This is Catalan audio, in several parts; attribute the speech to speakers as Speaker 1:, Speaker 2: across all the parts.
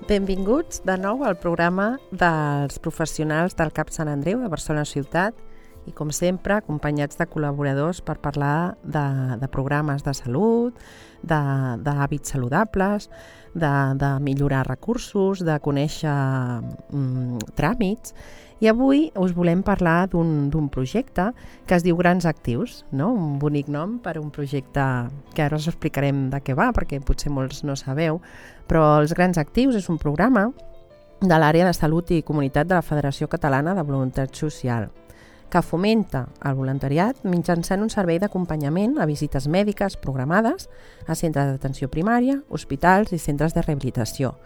Speaker 1: Benvinguts de nou al programa dels professionals del CAP Sant Andreu de Barcelona Ciutat i, com sempre, acompanyats de col·laboradors per parlar de programes de salut, d'hàbits saludables, de millorar recursos, de conèixer tràmits. I avui us volem parlar d'un projecte que es diu Grans Actius, no? Un bonic nom per un projecte que ara us explicarem de què va, perquè potser molts no sabeu, però els Grans Actius és un programa de l'àrea de salut i comunitat de la Federació Catalana de Voluntat Social, que fomenta el voluntariat mitjançant un servei d'acompanyament a visites mèdiques programades a centres d'atenció primària, hospitals i centres de rehabilitació.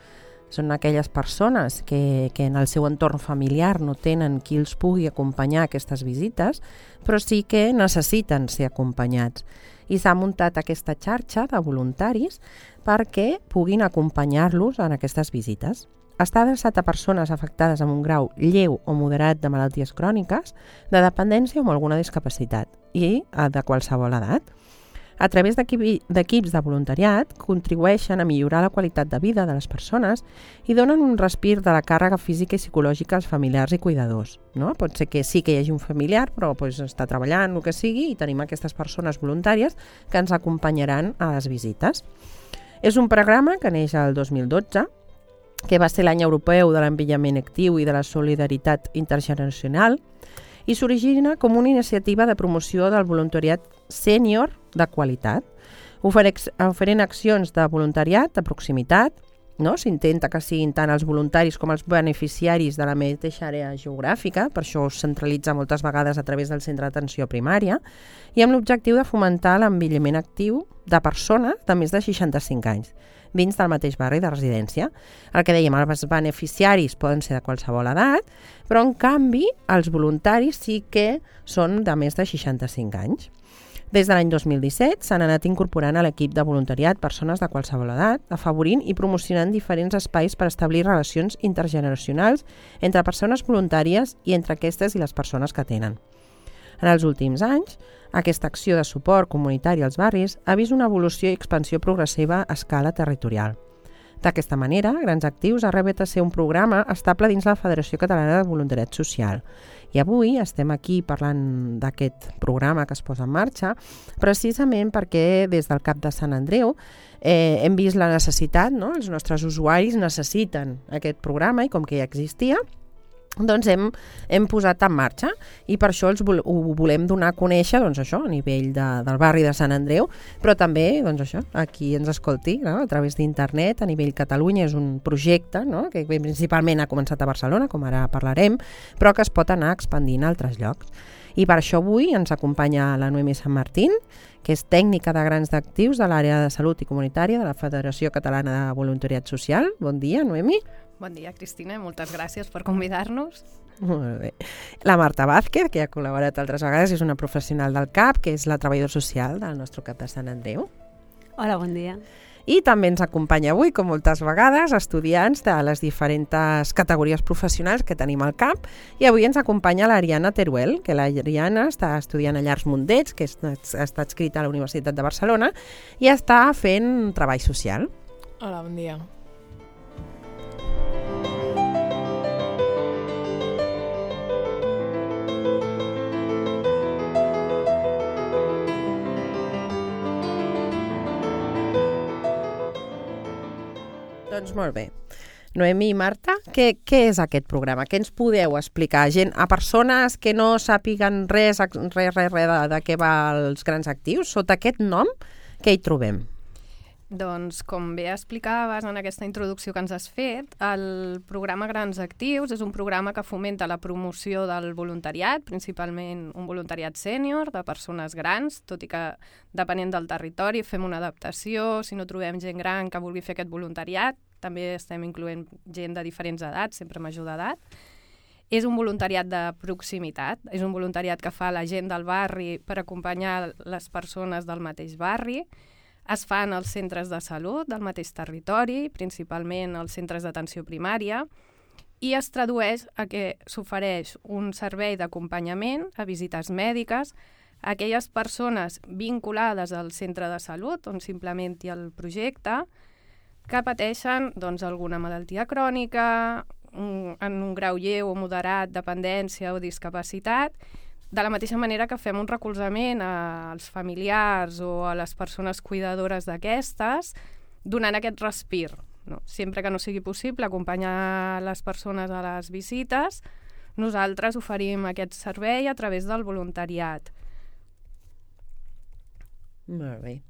Speaker 1: Són aquelles persones que en el seu entorn familiar no tenen qui els pugui acompanyar a aquestes visites, però sí que necessiten ser acompanyats. I s'ha muntat aquesta xarxa de voluntaris perquè puguin acompanyar-los en aquestes visites. Està adreçat a persones afectades amb un grau lleu o moderat de malalties cròniques, de dependència o amb alguna discapacitat, i de qualsevol edat. A través d'equips de voluntariat contribueixen a millorar la qualitat de vida de les persones i donen un respir de la càrrega física i psicològica als familiars i cuidadors. No? Pot ser que sí que hi hagi un familiar, però està treballant, el que sigui, i tenim aquestes persones voluntàries que ens acompanyaran a les visites. És un programa que neix el 2012, que va ser l'any europeu de l'envelliment actiu i de la solidaritat intergeneracional, i s'origina com una iniciativa de promoció del voluntariat sènior de qualitat, oferint accions de voluntariat de proximitat. No? S'intenta que siguin tant els voluntaris com els beneficiaris de la mateixa àrea geogràfica, per això es centralitza moltes vegades a través del centre d'atenció primària, i amb l'objectiu de fomentar l'envelliment actiu de persones de més de 65 anys, dins del mateix barri de residència. El que dèiem, els beneficiaris poden ser de qualsevol edat, però en canvi els voluntaris sí que són de més de 65 anys. Des de l'any 2017 s'han anat incorporant a l'equip de voluntariat persones de qualsevol edat, afavorint i promocionant diferents espais per establir relacions intergeneracionals entre persones voluntàries i entre aquestes i les persones que tenen. En els últims anys, aquesta acció de suport comunitari als barris ha vist una evolució i expansió progressiva a escala territorial. D'aquesta manera, Grans Actius ha arribat a ser un programa estable dins la Federació Catalana de Voluntariat Social. I avui estem aquí parlant d'aquest programa que es posa en marxa, precisament perquè des del CAP de Sant Andreu hem vist la necessitat, no? Els nostres usuaris necessiten aquest programa i com que ja existia, doncs hem posat en marxa i per això ho volem donar a conèixer a nivell del barri de Sant Andreu, però també a qui ens escolti, no? A través d'internet, a nivell Catalunya. És un projecte, no? Que principalment ha començat a Barcelona, com ara parlarem, però que es pot anar expandint a altres llocs. I per això avui ens acompanya la Noemi Sant Martín, que és tècnica de Grans Actius de l'àrea de salut i comunitària de la Federació Catalana de Voluntariat Social. Bon dia, Noemi.
Speaker 2: Bon dia, Cristina, moltes gràcies per convidar-nos.
Speaker 1: Molt bé. La Marta Vázquez, que ha col·laborat altres vegades, és una professional del CAP, que és la treballadora social del nostre CAP de Sant Andreu.
Speaker 3: Hola, bon dia.
Speaker 1: I també ens acompanya avui, com moltes vegades, estudiants de les diferents categories professionals que tenim al CAP, i avui ens acompanya l'Ariana Teruel, que l'Ariana està estudiant a Llars Mundets, que està adscrita a la Universitat de Barcelona, i està fent treball social.
Speaker 4: Hola, bon dia.
Speaker 1: Doncs molt bé. Noemi i Marta, què és aquest programa? Què ens podeu explicar a persones que no sàpiguen res de què va els Grans Actius? Sota aquest nom, què hi trobem?
Speaker 2: Doncs, com bé explicaves en aquesta introducció que ens has fet, el programa Grans Actius és un programa que fomenta la promoció del voluntariat, principalment un voluntariat sènior de persones grans, tot i que depenent del territori fem una adaptació. Si no trobem gent gran que vulgui fer aquest voluntariat, també estem incloent gent de diferents edats, sempre major d'edat. És un voluntariat de proximitat, és un voluntariat que fa la gent del barri per acompanyar les persones del mateix barri. Es fan als centres de salut del mateix territori, principalment als centres d'atenció primària, i es tradueix a que s'ofereix un servei d'acompanyament a visites mèdiques a aquelles persones vinculades al centre de salut on s'implementi el projecte, que pateixen doncs, alguna malaltia crònica, en un grau lleu o moderat, dependència o discapacitat, de la mateixa manera que fem un recolzament als familiars o a les persones cuidadores d'aquestes, donant aquest respir. No? Sempre que no sigui possible acompanyar les persones a les visites, nosaltres oferim aquest servei a través del voluntariat.
Speaker 1: Molt bé.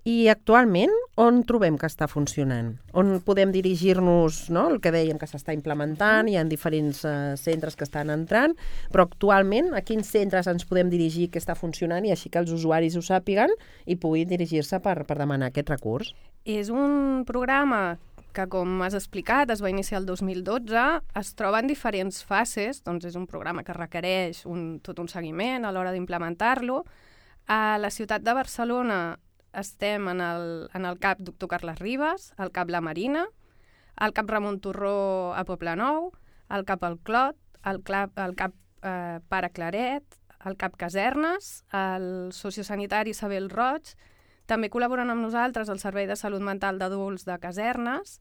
Speaker 1: I actualment, on trobem que està funcionant? On podem dirigir-nos, no? El que dèiem que s'està implementant, hi ha diferents centres que estan entrant, però actualment a quins centres ens podem dirigir que està funcionant i així que els usuaris ho sàpiguen i puguin dirigir-se per demanar aquest recurs?
Speaker 2: És un programa que, com has explicat, es va iniciar el 2012, es troba en diferents fases, doncs és un programa que requereix tot un seguiment a l'hora d'implementar-lo. A la ciutat de Barcelona estem en el CAP Doctor Carles Ribas, al CAP La Marina, al CAP Ramon Torró a Poblenou, al CAP El Clot, al CAP Pare Claret, al CAP Casernes, al sociosanitari Isabel Roig. També col·laboren amb nosaltres el Servei de Salut Mental d'Adults de Casernes,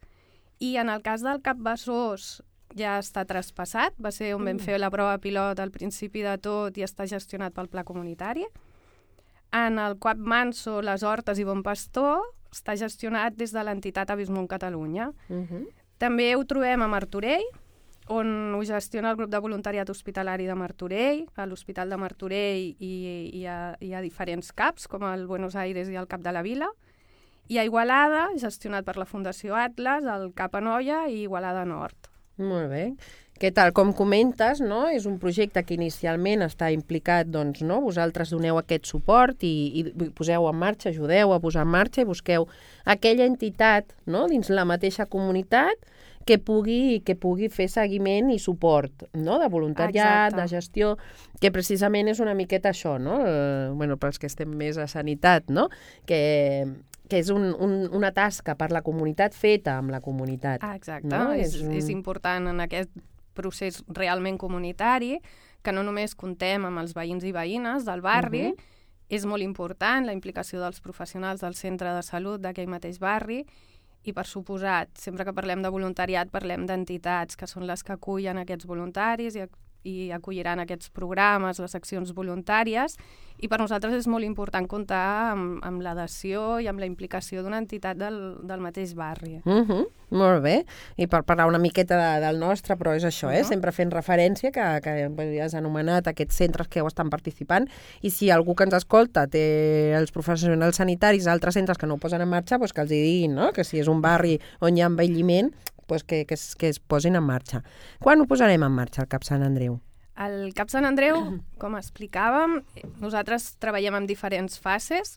Speaker 2: i en el cas del CAP Besòs ja està traspassat, va ser on vam fer la prova pilot al principi de tot i està gestionat pel Pla Comunitari. En el CAP Manso, Les Hortes i Bon Pastor està gestionat des de l'entitat Avismont Catalunya. També ho trobem a Martorell, on ho gestiona el grup de voluntariat hospitalari de Martorell. A l'Hospital de Martorell hi ha diferents CAPs, com el Buenos Aires i el CAP de la Vila. I a Igualada, gestionat per la Fundació Atlas, el CAP Anoia i Igualada Nord.
Speaker 1: Molt bé. Que tal com comentes, no? És un projecte que inicialment està implicat, doncs, no? Vosaltres doneu aquest suport i poseu en marxa, ajudeu a posar en marxa i busqueu aquella entitat, no? Dins la mateixa comunitat que pugui fer seguiment i suport, no? De voluntariat, de gestió, que precisament és una miqueta això, no? Bueno, pels que estem més a sanitat, no? Que és una tasca per la comunitat feta amb la comunitat.
Speaker 2: Exacte, no? És important en aquest procés realment comunitari, que no només contem amb els veïns i veïnes del barri, és molt important la implicació dels professionals del centre de salut d'aquell mateix barri, i per suposat, sempre que parlem de voluntariat parlem d'entitats que són les que acullen aquests voluntaris i acolliran aquests programes, les accions voluntàries, i per nosaltres és molt important comptar amb l'adhesió i amb la implicació d'una entitat del mateix barri.
Speaker 1: Molt bé, i per parlar una miqueta del nostre, però és això, sempre fent referència que has anomenat aquests centres que ho estan participant, i si algú que ens escolta té els professionals sanitaris a altres centres que no ho posen en marxa, doncs que els hi diguin, no? Que si és un barri on hi ha envelliment, doncs que es posin en marxa. Quan ho posarem en marxa, el CAP Sant Andreu?
Speaker 2: El CAP Sant Andreu, com explicàvem, nosaltres treballem en diferents fases.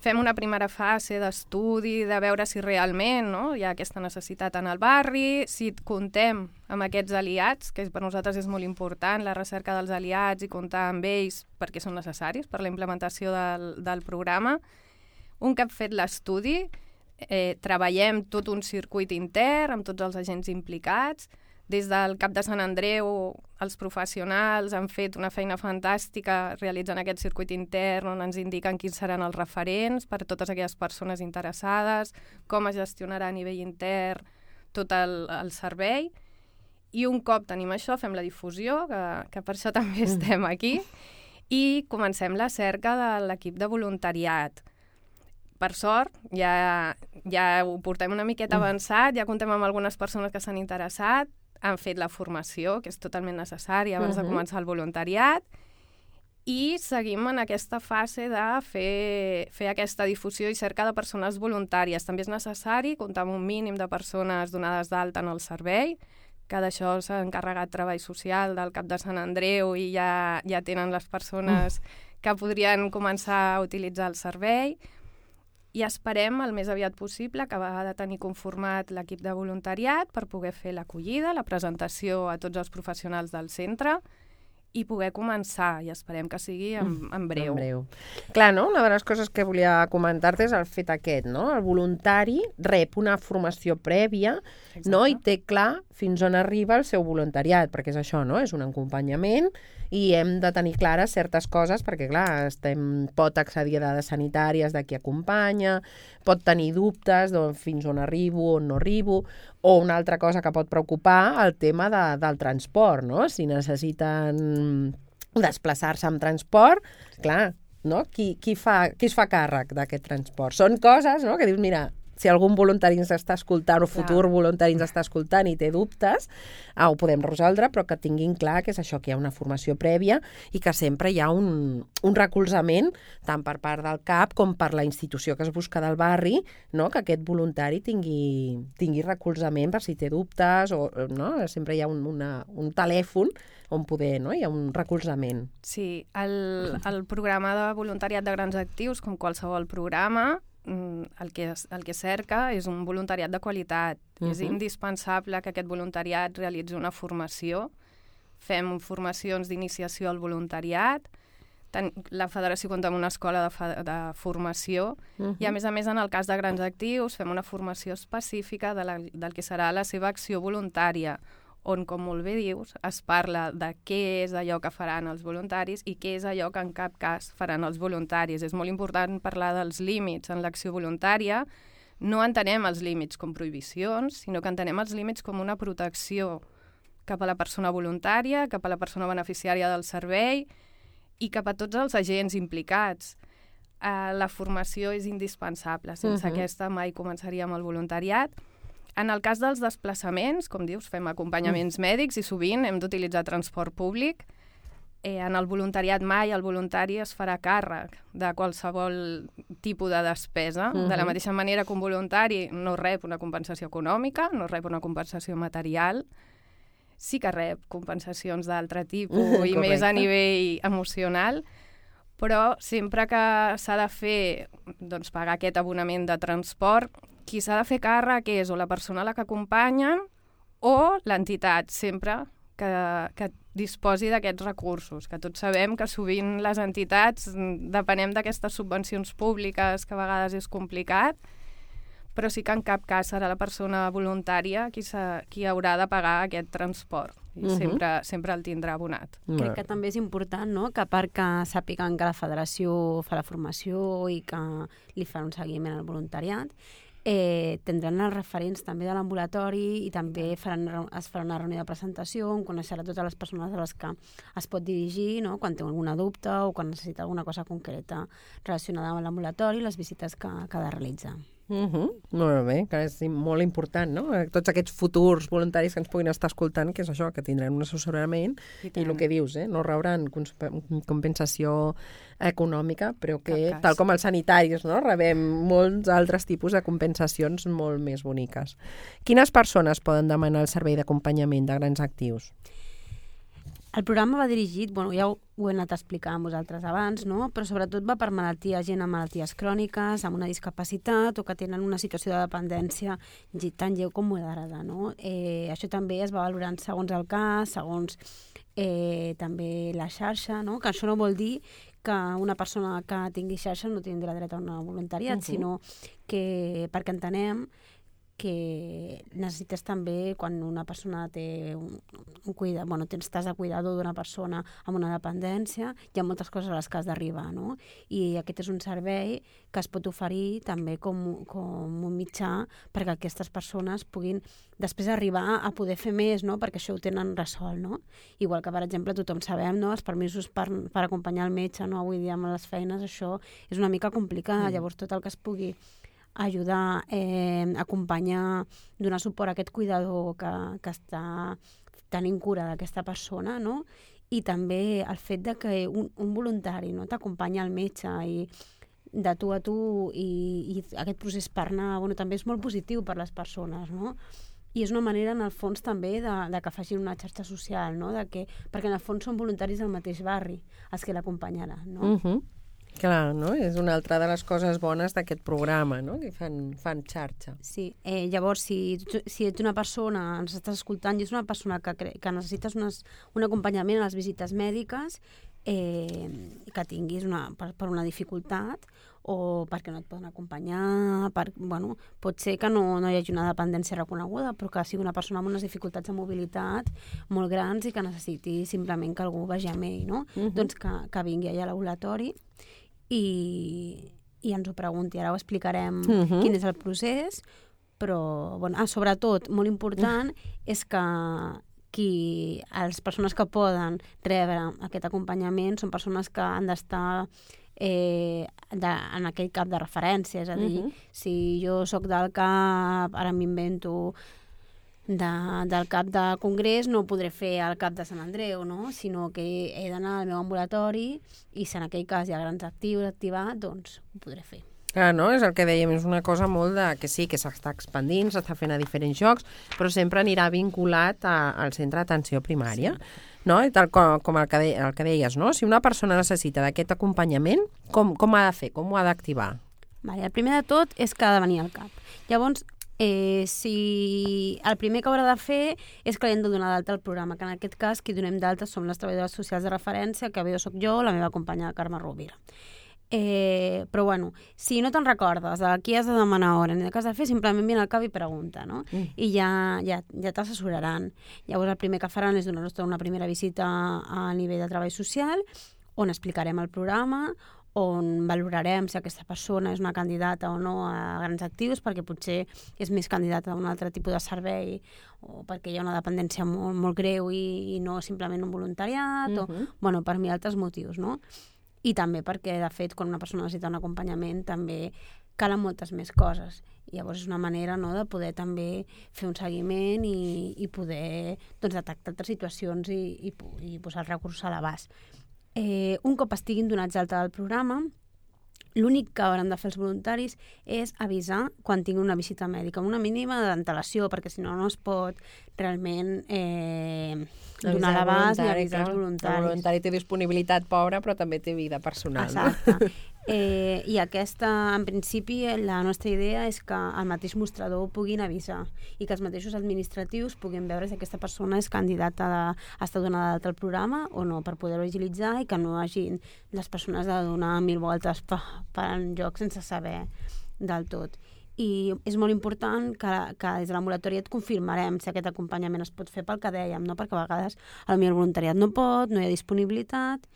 Speaker 2: Fem una primera fase d'estudi, de veure si realment hi ha aquesta necessitat en el barri, si comptem amb aquests aliats, que per nosaltres és molt important, la recerca dels aliats i comptar amb ells perquè són necessaris per la implementació del programa. Un cop fet l'estudi, treballem tot un circuit intern amb tots els agents implicats. Des del CAP de Sant Andreu, els professionals han fet una feina fantàstica realitzant aquest circuit intern on ens indiquen quins seran els referents per a totes aquelles persones interessades, com es gestionarà a nivell intern tot el servei. I un cop tenim això, fem la difusió, que per això també estem aquí, i comencem la cerca de l'equip de voluntariat. Per sort, ja ho portem una miqueta avançat, ja comptem amb algunes persones que s'han interessat, han fet la formació, que és totalment necessària abans de començar el voluntariat, i seguim en aquesta fase de fer aquesta difusió i cerca de persones voluntàries. També és necessari comptar amb un mínim de persones donades d'alta en el servei, que d'això s'ha encarregat Treball Social del CAP de Sant Andreu i ja tenen les persones que podrien començar a utilitzar el servei. I esperem el més aviat possible acabar de tenir conformat l'equip de voluntariat per poder fer l'acollida, la presentació a tots els professionals del centre i poder començar, i esperem que sigui en breu.
Speaker 1: En breu. Clar, no? Una de les coses que volia comentar-te és el fet aquest, no? El voluntari rep una formació prèvia, no? I té clar fins on arriba el seu voluntariat, perquè és això, no? És un acompanyament i hem de tenir clares certes coses perquè, clar, pot accedir a dades sanitàries de qui acompanya, pot tenir dubtes de fins on arribo, on no arribo, o una altra cosa que pot preocupar, el tema del transport, no? Si necessiten desplaçar-se amb transport, clar, no? Qui es fa càrrec d'aquest transport? Són coses, no?, que dius, mira, si algun voluntari ens està escoltant o futur voluntari ens està escoltant i té dubtes, ho podem resoldre, però que tinguin clar que és això, que hi ha una formació prèvia i que sempre hi ha un recolzament tant per part del CAP com per la institució que es busca del barri, no?, que aquest voluntari tingui recolzament per si té dubtes, o no? Sempre hi ha un telèfon on poder, no?, hi ha un recolzament.
Speaker 2: Sí, el programa de voluntariat de grans actius, com qualsevol programa, el que cerca és un voluntariat de qualitat. És indispensable que aquest voluntariat realitzi una formació. Fem formacions d'iniciació al voluntariat. La federació compta amb una escola de formació i, a més, en el cas de grans actius, fem una formació específica del que serà la seva acció voluntària, on, com molt bé dius, es parla de què és allò que faran els voluntaris i què és allò que en cap cas faran els voluntaris. És molt important parlar dels límits en l'acció voluntària. No entenem els límits com prohibicions, sinó que entenem els límits com una protecció cap a la persona voluntària, cap a la persona beneficiària del servei i cap a tots els agents implicats. La formació és indispensable. Sense aquesta mai començaríem el voluntariat. En el cas dels desplaçaments, com dius, fem acompanyaments mèdics i sovint hem d'utilitzar transport públic. En el voluntariat mai el voluntari es farà càrrec de qualsevol tipus de despesa. De la mateixa manera que un voluntari no rep una compensació econòmica, no rep una compensació material, sí que rep compensacions d'altre tipus i més a nivell emocional, però sempre que s'ha de fer, doncs, pagar aquest abonament de transport, qui s'ha de fer càrrec és o la persona a la que acompanyen o l'entitat, sempre que disposi d'aquests recursos, que tots sabem que sovint les entitats depenem d'aquestes subvencions públiques, que a vegades és complicat, però sí que en cap cas serà la persona voluntària qui haurà de pagar aquest transport. I sempre el tindrà abonat.
Speaker 3: Crec que també és important, no?, que a part que sàpiguen que la federació fa la formació i que li fan un seguiment al voluntariat, tindran els referents també de l'ambulatori i també es farà una reunió de presentació on coneixerà totes les persones a les que es pot dirigir, no?, quan té alguna dubte o quan necessita alguna cosa concreta relacionada amb l'ambulatori i les visites que ha de realitzar.
Speaker 1: Molt bé, que és molt important, no? Tots aquests futurs voluntaris que ens puguin estar escoltant, que és això, que tindran un assessorament i el que dius, no rebran compensació econòmica, però que, tal com els sanitaris, no?, rebem molts altres tipus de compensacions molt més boniques. Quines persones poden demanar el servei d'acompanyament de grans actius?
Speaker 3: El programa va dirigit, ja ho he anat a explicar amb vosaltres abans, no?, però sobretot va per gent amb malalties cròniques, amb una discapacitat o que tenen una situació de dependència tan lleu com moderada, no? Això també es va valorant segons el cas, segons també la xarxa, no?, que això no vol dir que una persona que tingui xarxa no tindrà dret a un voluntariat, sinó que perquè entenem que necessites també, quan una persona té estàs de cuidador d'una persona amb una dependència, hi ha moltes coses a les que has d'arribar, no? I aquest és un servei que es pot oferir també com un mitjà perquè aquestes persones puguin després arribar a poder fer més, no?, perquè això ho tenen resolt, no? Igual que, per exemple, tothom sabem, no?, els permisos per acompanyar el metge, no?, avui dia amb les feines, això és una mica complicat. Llavors tot el que es pugui ajudar, acompanyar, donar suport a aquest cuidador que està tenint cura d'aquesta persona, no? I també el fet de que un voluntari, no?, t'acompanya al metge i de tu a tu i aquest procés per anar, també és molt positiu per les persones, no? I és una manera, en el fons, també de que facin una xarxa social, no?, perquè en el fons són voluntaris del mateix barri els que l'acompanyaran, no?
Speaker 1: Clar, no? És una altra de les coses bones d'aquest programa, no? Que fan xarxa.
Speaker 3: Sí, llavors, si ets una persona, ens estàs escoltant, i ets una persona que necessites un acompanyament a les visites mèdiques, que tinguis per una dificultat o perquè no et poden acompanyar, pot ser que no hi hagi una dependència reconeguda, però que sigui una persona amb unes dificultats de mobilitat molt grans i que necessiti simplement que algú vagi amb ell, no? Doncs que vingui allà a l'ambulatori i ens ho pregunti. Ara ho explicarem quin és el procés, però sobretot, molt important, és que les persones que poden rebre aquest acompanyament són persones que han d'estar en aquell cap de referència, és a dir, si jo sóc del cap, ara m'invento, del cap de Congrés, no podré fer el cap de Sant Andreu, no? Sinó que he d'anar al meu ambulatori i si en aquell cas hi ha grans actius activats, doncs ho podré fer.
Speaker 1: Clar, no? És el que dèiem, és una cosa molt que sí, que s'està expandint, s'està fent a diferents llocs, però sempre anirà vinculat al centre d'atenció primària. Sí. No? I tal com el que deies, no? Si una persona necessita d'aquest acompanyament, com ha de fer? Com ho ha d'activar?
Speaker 3: El primer de tot és que ha de venir al CAP. Llavors, si el primer que haurà de fer és que li hem de donar d'alta al programa, que en aquest cas qui donem d'alta som les treballadores socials de referència, que bé soc jo, la meva companya Carme Rovira. Però si no te'n recordes de qui has de demanar hora ni de què has de fer, simplement vine al CAP i pregunta, no? I ja t'assessoraran. Llavors el primer que faran és donar-nos una primera visita a nivell de treball social, on explicarem el programa, on valorarem si aquesta persona és una candidata o no a grans actius, perquè potser és més candidata a un altre tipus de servei o perquè hi ha una dependència molt, molt greu i no simplement un voluntariat o per mil altres motius, no? I també perquè, de fet, quan una persona necessita un acompanyament també calen moltes més coses. I llavors és una manera, no, de poder també fer un seguiment i poder detectar altres situacions i posar el recurs a l'abast. Un cop estiguin donats d'alta del programa, l'únic que hauran de fer els voluntaris és avisar quan tinguin una visita mèdica, amb una mínima d'antelació, perquè si no es pot realment donar l'abast ni avisar els voluntaris.
Speaker 1: El voluntari té disponibilitat pobra, però també té vida personal.
Speaker 3: Exacte. No? I aquesta, en principi, la nostra idea és que el mateix mostrador ho puguin avisar i que els mateixos administratius puguin veure si aquesta persona és candidata a estar donada d'alta al programa o no, per poder-ho agilitzar i que no hagin les persones de donar 1000 voltes per enlloc sense saber del tot. I és molt important que des de l'ambulatori et confirmarem si aquest acompanyament es pot fer pel que dèiem, no? Perquè a vegades el voluntariat no pot, no hi ha disponibilitat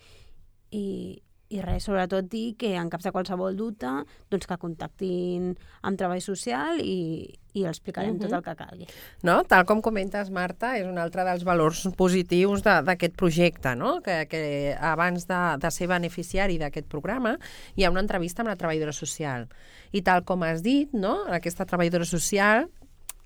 Speaker 3: i res, sobretot dir que en cas de qualsevol dubte doncs que contactin amb treball social i els explicarem tot el que calgui.
Speaker 1: No? Tal com comentes, Marta, és un altre dels valors positius d'aquest projecte, no? Que abans de ser beneficiari d'aquest programa hi ha una entrevista amb la treballadora social. I tal com has dit, no? Aquesta treballadora social,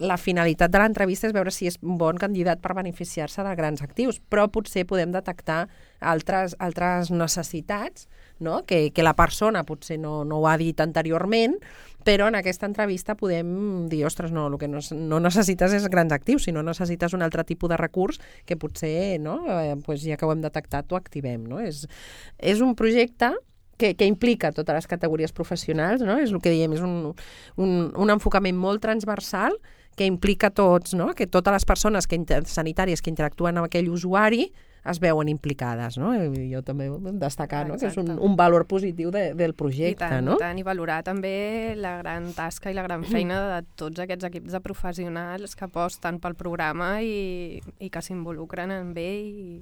Speaker 1: la finalitat de l'entrevista és veure si és un bon candidat per beneficiar-se de grans actius, però potser podem detectar altres necessitats, no? Que la persona potser no ho ha dit anteriorment, però en aquesta entrevista podem dir, ostres, no, el que no necessites és grans actius, sinó necessites un altre tipus de recurs que potser, no? Ja que ho hem detectat, ho activem. No? És un projecte que implica totes les categories professionals, no? És el que diem, és un enfocament molt transversal que implica tots, no? Que totes les persones sanitàries que interactuen amb aquell usuari es veuen implicades, no? I jo també vull destacar, no? Que és un valor positiu del projecte, no?
Speaker 2: I valorar també la gran tasca i la gran feina de tots aquests equips de professionals que aposten pel programa i que s'involucren en ell.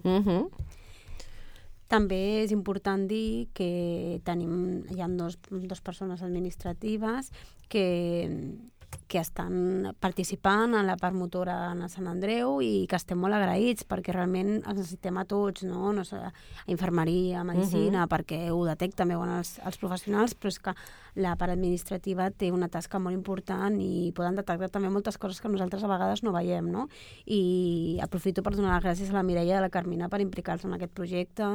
Speaker 3: També és important dir que hi ha dos persones administratives que estan participant en la part motora a Sant Andreu i que estem molt agraïts perquè realment els necessitem a tots, no? No sé, a infermeria, a medicina, perquè ho detecten veuen els professionals, però és que la part administrativa té una tasca molt important i poden detectar també moltes coses que nosaltres a vegades no veiem, no? I aprofito per donar les gràcies a la Mireia i a la Carmina per implicar-se en aquest projecte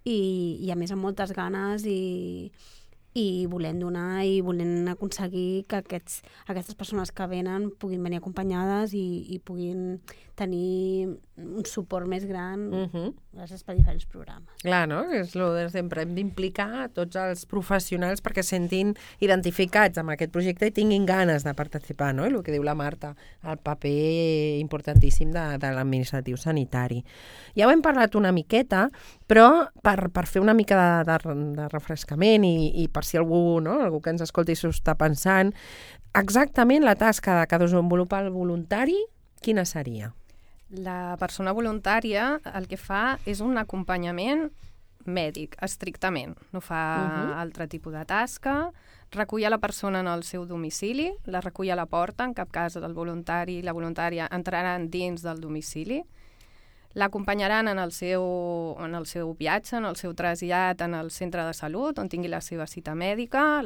Speaker 3: i a més amb moltes ganes i i volem donar i volem aconseguir que aquestes persones que venen puguin venir acompanyades i puguin tenir un suport més gran gràcies per diferents programes.
Speaker 1: Clar, no? És el de sempre. Hem d'implicar tots els professionals perquè sentin identificats amb aquest projecte i tinguin ganes de participar, no? El que diu la Marta, el paper importantíssim de l'administratiu sanitari. Ja ho hem parlat una miqueta, però per fer una mica de refrescament i per si algú que ens escolti s'ho està pensant, exactament la tasca que desenvolupa el voluntari, quina seria?
Speaker 2: La persona voluntària el que fa és un acompanyament mèdic, estrictament. No fa altre tipus de tasca, recull a la persona en el seu domicili, la recull a la porta, en cap cas el voluntari i la voluntària entraran dins del domicili, l'acompanyaran en el seu viatge, en el seu trasllat en el centre de salut, on tingui la seva cita mèdica,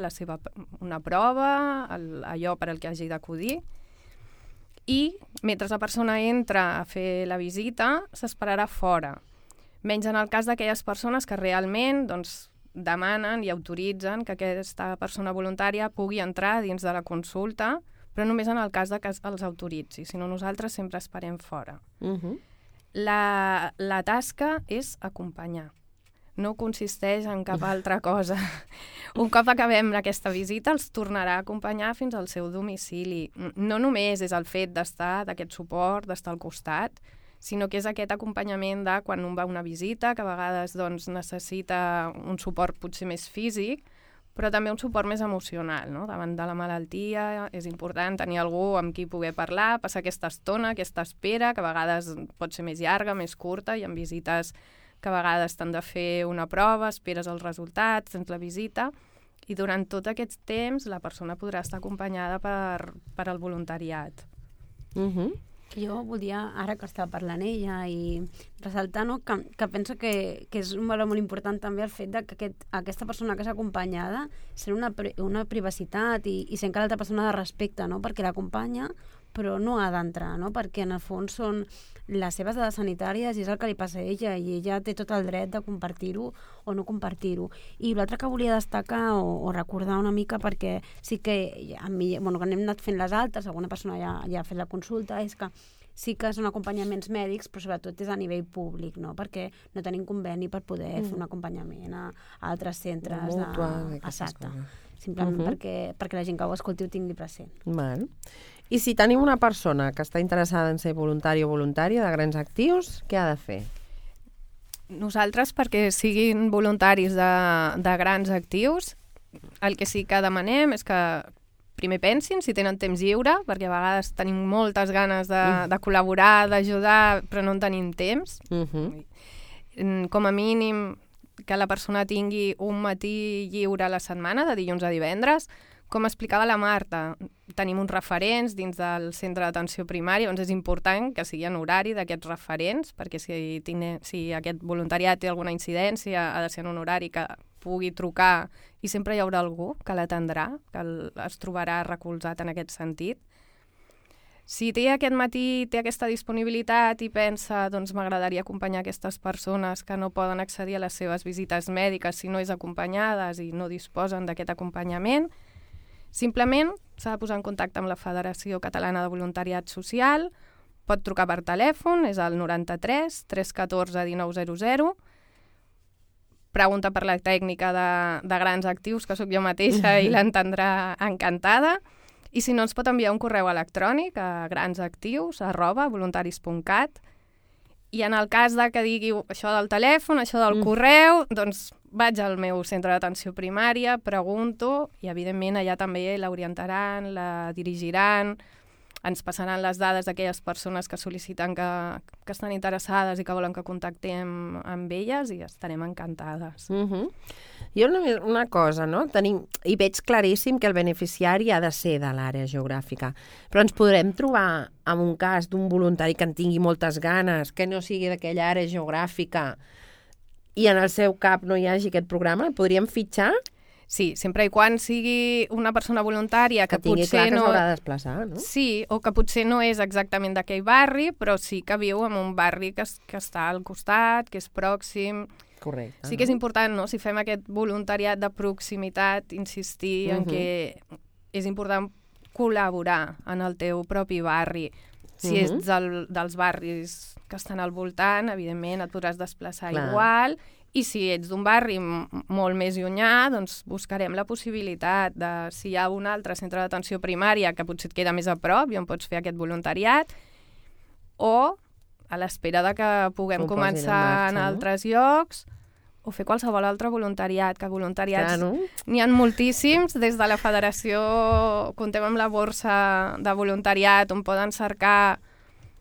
Speaker 2: una prova, allò per al que hagi d'acudir. I mentre la persona entra a fer la visita, s'esperarà fora. Menys en el cas d'aquelles persones que realment demanen i autoritzen que aquesta persona voluntària pugui entrar dins de la consulta, però només en el cas que els autoritzi. Si no, nosaltres sempre esperem fora. La tasca és acompanyar. No consisteix en cap altra cosa. Un cop acabem aquesta visita, els tornarà a acompanyar fins al seu domicili. No només és el fet d'estar, d'aquest suport, d'estar al costat, sinó que és aquest acompanyament de quan un va a una visita, que a vegades necessita un suport potser més físic, però també un suport més emocional, no? Davant de la malaltia és important tenir algú amb qui poder parlar, passar aquesta estona, aquesta espera, que a vegades pot ser més llarga, més curta, i en visites que a vegades t'han de fer una prova, esperes els resultats, tens la visita, i durant tot aquest temps la persona podrà estar acompanyada per al voluntariat.
Speaker 3: Jo volia, ara que estava parlant ella, i ressaltar que penso que és un valor molt important també el fet que aquesta persona que és acompanyada sent una privacitat i sent que l'altra persona de respecte, no? Perquè l'acompanya però no ha d'entrar, no? Perquè en el fons són les seves dades sanitàries i és el que li passa a ella i ella té tot el dret de compartir-ho o no compartir-ho. I l'altre que volia destacar o recordar una mica, perquè sí que a mi, que n'hem anat fent les altres, alguna persona ja ha fet la consulta, és que sí que són acompanyaments mèdics, però sobretot és a nivell públic, no? Perquè no tenim conveni per poder fer un acompanyament a altres centres. Exacte. Simplement perquè la gent que ho escolti ho tingui present.
Speaker 1: Val. I si tenim una persona que està interessada en ser voluntari o voluntària de Grans Actius, què ha de fer?
Speaker 2: Nosaltres, perquè siguin voluntaris de Grans Actius, el que sí que demanem és que primer pensin si tenen temps lliure, perquè a vegades tenim moltes ganes de col·laborar, d'ajudar, però no en tenim temps. Com a mínim que la persona tingui un matí lliure a la setmana, de dilluns a divendres. Com explicava la Marta, tenim uns referents dins del centre d'atenció primària, doncs és important que sigui en horari d'aquests referents, perquè si aquest voluntariat té alguna incidència, ha de ser en un horari que pugui trucar i sempre hi haurà algú que l'atendrà, que es trobarà recolzat en aquest sentit. Si aquest matí té aquesta disponibilitat i pensa, doncs m'agradaria acompanyar aquestes persones que no poden accedir a les seves visites mèdiques si no és acompanyades i no disposen d'aquest acompanyament, simplement s'ha de posar en contacte amb la Federació Catalana de Voluntariat Social, pot trucar per telèfon, és el 93 314 1900, pregunta per la tècnica de Grans Actius, que sóc jo mateixa i l'entendrà encantada, i si no ens pot enviar un correu electrònic a gransactius@voluntaris.cat, i en el cas que digui això del telèfon, això del correu, doncs vaig al meu centre d'atenció primària, pregunto, i evidentment allà també l'orientaran, la dirigiran, ens passaran les dades d'aquelles persones que sol·liciten que estan interessades i que volen que contactem amb elles, i estarem encantades.
Speaker 1: Jo una cosa, no? I veig claríssim que el beneficiari ha de ser de l'àrea geogràfica, però ens podrem trobar amb un cas d'un voluntari que en tingui moltes ganes, que no sigui d'aquella àrea geogràfica, i en el seu cap no hi hagi aquest programa, el podríem fitxar?
Speaker 2: Sí, sempre i quan sigui una persona voluntària que
Speaker 1: tingui
Speaker 2: potser
Speaker 1: clar que s'haurà de desplaçar, no?
Speaker 2: Sí, o que potser no és exactament d'aquell barri, però sí que viu en un barri que està al costat, que és pròxim.
Speaker 1: Correcte.
Speaker 2: Sí que és important, no?, si fem aquest voluntariat de proximitat, insistir en que és important col·laborar en el teu propi barri. Si ets dels barris que estan al voltant, evidentment et podràs desplaçar igual, i si ets d'un barri molt més llunyà, doncs buscarem la possibilitat de, si hi ha un altre centre d'atenció primària que potser et queda més a prop i on pots fer aquest voluntariat, o a l'espera de que puguem començar en altres llocs, o fer qualsevol altre voluntariat, que voluntariats n'hi ha moltíssims. Des de la federació comptem amb la borsa de voluntariat on poden cercar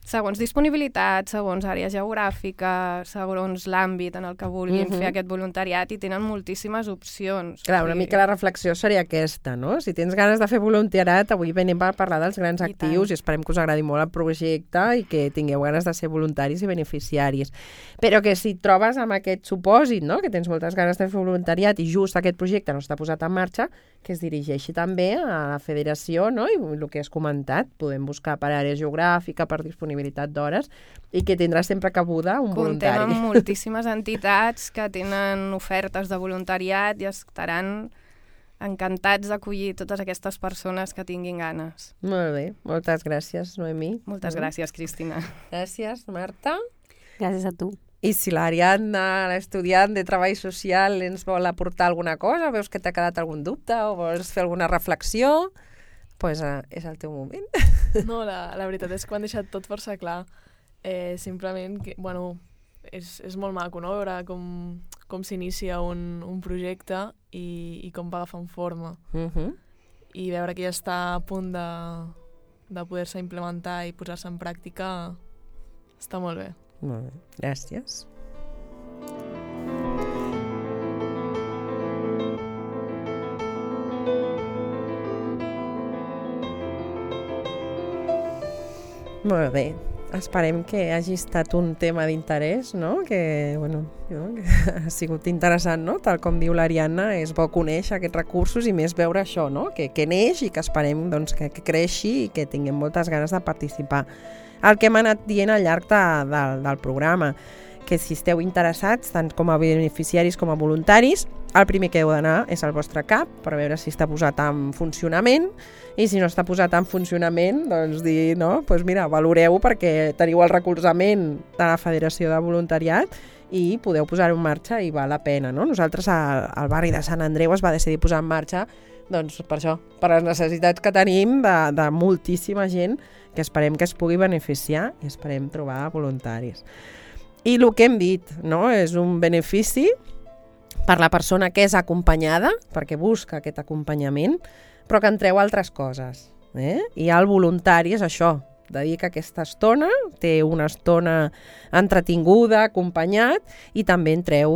Speaker 2: segons disponibilitat, segons àrea geogràfica, segons l'àmbit en el que vulguin fer aquest voluntariat, i tenen moltíssimes opcions.
Speaker 1: Clar, una mica la reflexió seria aquesta, no? Si tens ganes de fer voluntariat, avui venim per parlar dels grans actius i esperem que us agradi molt el projecte i que tingueu ganes de ser voluntaris i beneficiaris. Però que si et trobes amb aquest supòsit, no?, que tens moltes ganes de fer voluntariat i just aquest projecte no està posat en marxa, que es dirigeixi també a la federació, no?, i el que has comentat, podem buscar per àrea geogràfica, per disponibilitat d'hores, i que tindrà sempre cabuda un voluntari.
Speaker 2: Contem amb moltíssimes entitats que tenen ofertes de voluntariat i estaran encantats d'acollir totes aquestes persones que tinguin ganes.
Speaker 1: Molt bé, moltes gràcies, Noemí.
Speaker 2: Moltes gràcies, Cristina.
Speaker 1: Gràcies, Marta.
Speaker 3: Gràcies a tu.
Speaker 1: I si l'Ariadna, l'estudiant de Treball Social, ens vol aportar alguna cosa, veus que t'ha quedat algun dubte o vols fer alguna reflexió, doncs és el teu moment.
Speaker 4: No, la veritat és que ho han deixat tot força clar. Simplement, que, bueno, és molt maco, no?, veure com s'inicia un projecte i com va agafant forma. I veure que ja està a punt de poder-se implementar i posar-se en pràctica està molt bé.
Speaker 1: Molt bé, gràcies. Molt bé. Esperem que hagi estat un tema d'interès, no? Que, bueno, que ha sigut interessant, no? Tal com diu l'Ariadna, és bo conèixer aquests recursos i més veure això, no? Que neix i que esperem, doncs, que creixi i que tinguem moltes ganes de participar. El que hem anat dient al llarg del programa, que si esteu interessats, tant com a beneficiaris com a voluntaris, el primer que heu d'anar és al vostre CAP per veure si està posat en funcionament, i si no està posat en funcionament, doncs dir, no, doncs mira, valoreu perquè teniu el recolzament de la Federació de Voluntariat i podeu posar-ho en marxa i val la pena, no? Nosaltres al barri de Sant Andreu es va decidir posar en marxa doncs per això, per les necessitats que tenim de moltíssima gent que esperem que es pugui beneficiar i esperem trobar voluntaris. I el que hem dit, no?, és un benefici per la persona que és acompanyada, perquè busca aquest acompanyament, però que en treu altres coses. I el voluntari és això, dedica aquesta estona, té una estona entretinguda, acompanyat, i també en treu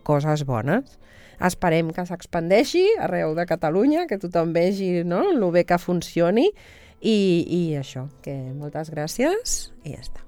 Speaker 1: coses bones. Esperem que s'expandeixi arreu de Catalunya, que tothom vegi, no?, el bé que funcioni, i això, que moltes gràcies i ja està.